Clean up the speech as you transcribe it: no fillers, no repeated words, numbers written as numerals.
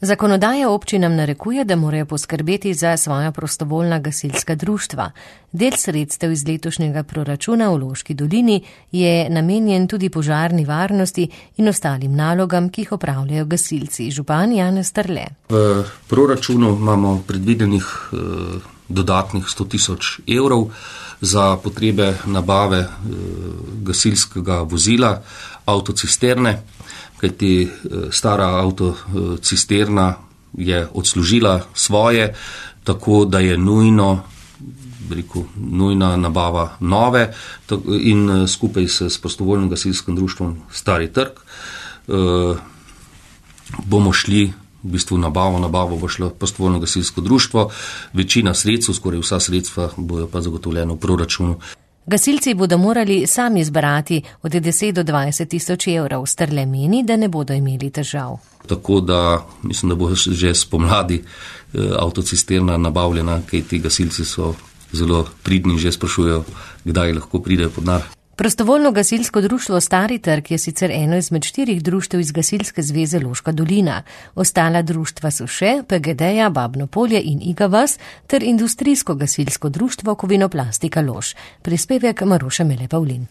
Zakonodaja občinam narekuje, da morajo poskrbeti za svoja prostovoljna gasilska društva. Del sredstev iz letošnjega proračuna v Loški dolini je namenjen tudi požarni varnosti in ostalim nalogam, ki jih opravljajo gasilci. Župan Janez Strle. V proračunu imamo predvidenih dodatnih 100 000 evrov za potrebe nabave gasilskega vozila, avtocisterne, kajti stara avtocisterna je odslužila svoje, tako da je nujna nabava nove in skupaj s prostovoljnim gasilskim društvom Stari trg bomo šli v bistvu nabavo bo šlo prostovoljno gasilsko društvo, večina sredstev, skoraj vsa sredstva bojo pa zagotovljena v proračunu. Gasilci bodo morali sami zbrati od 10 do 20 tisoč evrov. Strle meni, da ne bodo imeli težav. Tako da mislim, da bo že spomladi avtocisterna nabavljena, kaj ti gasilci so zelo pridni in že sprašujejo, kdaj lahko pridejo pod nar. Prostovoljno gasilsko društvo Stari trg je sicer eno izmed 4 društev iz Gasilske zveze Loška dolina. Ostala društva so še PGD-ja, Babno polje in Iga vas ter industrijsko gasilsko društvo Kovinoplastika Lož. Prispevek Maroša Mele Pavlin.